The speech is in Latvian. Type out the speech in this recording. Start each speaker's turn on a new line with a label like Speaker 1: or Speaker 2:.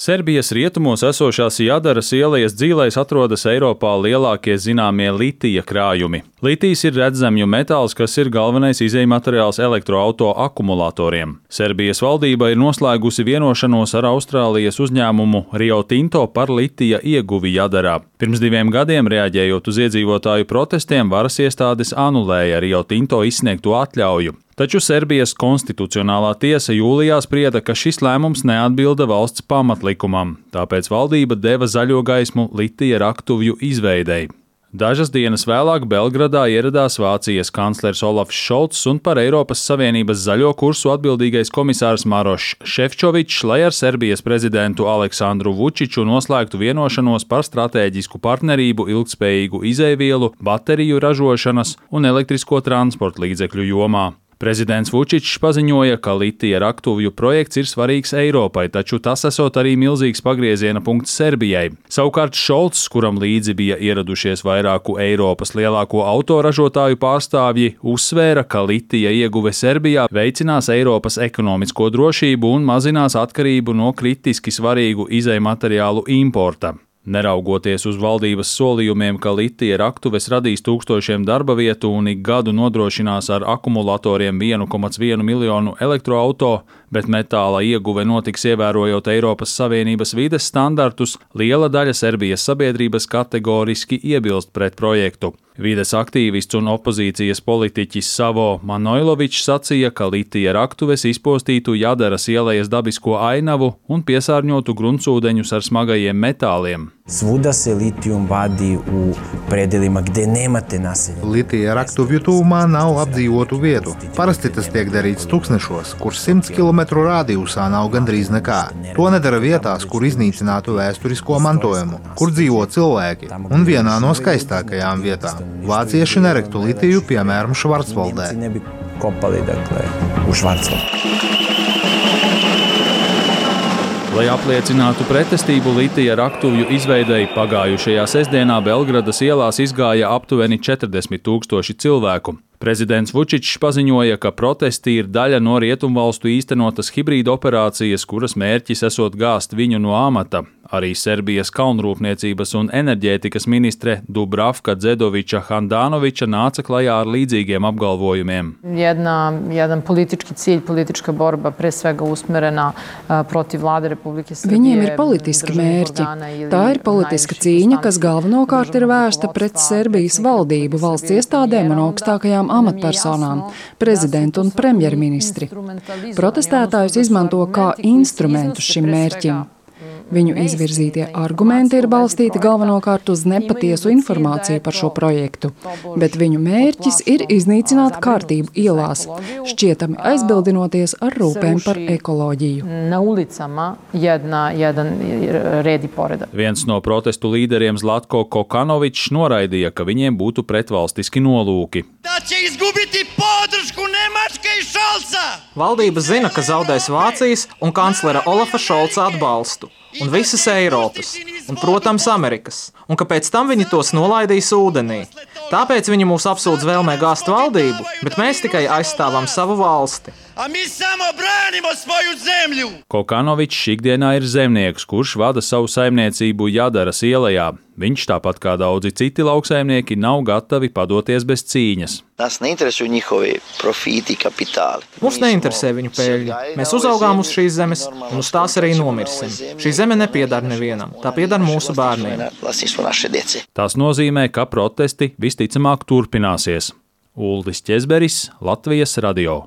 Speaker 1: Serbijas rietumos esošās Jadaras ielas dzīlēs atrodas Eiropā lielākie zināmie litija krājumi. Litijs ir redzamju metāls, kas ir galvenais izejmateriāls elektroauto akumulatoriem. Serbijas valdība ir noslēgusi vienošanos ar Austrālijas uzņēmumu Rio Tinto par litija ieguvi Jadarā. Pirms 2 gadiem, reaģējot uz iedzīvotāju protestiem, varas iestādes anulēja Rio Tinto izsniegto atļauju. Taču Serbijas konstitucionālā tiesa jūlijā sprieda, ka šis lēmums neatbilda valsts pamatlikumam, tāpēc valdība deva zaļo gaismu litija raktuvju izveidei. Dažas dienas vēlāk Belgradā ieradās Vācijas kanclers Olafs Šolts un par Eiropas Savienības zaļo kursu atbildīgais komisārs Marošs Šefčovičs, lai ar Serbijas prezidentu Aleksandru Vučiču noslēgtu vienošanos par stratēģisku partnerību ilgtspējīgu izejvielu, bateriju ražošanas un elektrisko transporta līdzekļu jomā. Prezidents Vučičs paziņoja, ka litija raktuvju projekts ir svarīgs Eiropai, taču tas esot arī milzīgs pagrieziena punkts Serbijai. Savukārt Šolts, kuram līdzi bija ieradušies vairāku Eiropas lielāko autoražotāju pārstāvji, uzsvēra, ka litija ieguve Serbijā veicinās Eiropas ekonomisko drošību un mazinās atkarību no kritiski svarīgu izejmateriālu importa. Neraugoties uz valdības solījumiem, ka litija raktuves radīs tūkstošiem darba vietu un ik gadu nodrošinās ar akumulatoriem 1,1 miljonu elektroauto, bet metāla ieguve notiks ievērojot Eiropas Savienības vides standartus, liela daļa Serbijas sabiedrības kategoriski iebilst pret projektu. Vides aktīvists un opozīcijas politiķis Savo Manojlovičs sacīja, ka litija raktuves izpostītu Jadaras ielas dabisko ainavu un piesārņotu gruntsūdeņus ar smagajiem metāliem.
Speaker 2: Svuda se litijum vadi u predelima gde nemate naselja.
Speaker 3: Litija raktuvju tuvumā nav apdzīvotu vietu. Parasti tas tiek darīts tūkstnešos, kur 100 km rādījusā nav gandrīz nekā. To nedara vietās, kur iznīcinātu vēsturisko mantojumu, kur dzīvo cilvēki, un vienā no skaistākajām vietām. Vācieši nerektu litiju, piemēram, Švarcvaldē.
Speaker 1: Lai apliecinātu pretestību litija raktuvju izveidei, pagājušajā sestdienā Belgradas ielās izgāja aptuveni 40 000 cilvēku. Prezidents Vučičs paziņoja, ka protesti ir daļa no rietumvalstu īstenotas hibrīda operācijas, kuras mērķis esot gāzt viņu no amata. Arī Serbijas kalnrūpniecības un enerģētikas ministre Dubravka Dzedoviča Handanoviča nāca klajā ar līdzīgiem apgalvojumiem.
Speaker 4: Jedan politički cilj, politička borba, pre svega usmerena protiv vlade Republike Srbije.
Speaker 5: Viņiem ir politiski mērķi. Tā ir politiska cīņa, kas galvenokārt ir vērsta pret Serbijas valdību, valsts iestādēm un augstākajām amatpersonām, prezidentu un premjerministri. Protestētājus izmanto kā instrumentus šim mērķim. Viņu izvirzītie argumenti ir balstīti galvenokārt uz nepatiesu informāciju par šo projektu, bet viņu mērķis ir iznīcināt kārtību ielās, šķietami aizbildinoties ar rūpēm par ekoloģiju.
Speaker 1: Viens no protestu līderiem Zlatko Kokanovičs noraidīja, ka viņiem būtu pretvalstiski nolūki.
Speaker 6: Valdība zina, ka zaudēs Vācijas un kanclera Olafa Šolca atbalstu. Un visas Eiropas, un, protams, Amerikas, un ka pēc tam viņi tos nolaidīs ūdenī. Tāpēc viņi mūs apsūdz vēlmē gāzt valdību, bet mēs tikai aizstāvam savu valsti.
Speaker 1: Kokanovičs ikdienā ir zemnieks, kurš vada savu saimniecību Jadaras ielā. Viņš, tāpat kā daudzi citi lauksaimnieki, nav gatavi padoties bez cīņas.
Speaker 6: Mūs neinteresē viņu peļņa. Mēs uzaugām uz šīs zemes, un uz tās arī nomirsim. Šī zeme nepiedar nevienam, tā piedar mūsu bērniem.
Speaker 1: Tas nozīmē, ka protesti visticamāk turpināsies. Uldis Ķezberis, Latvijas radio.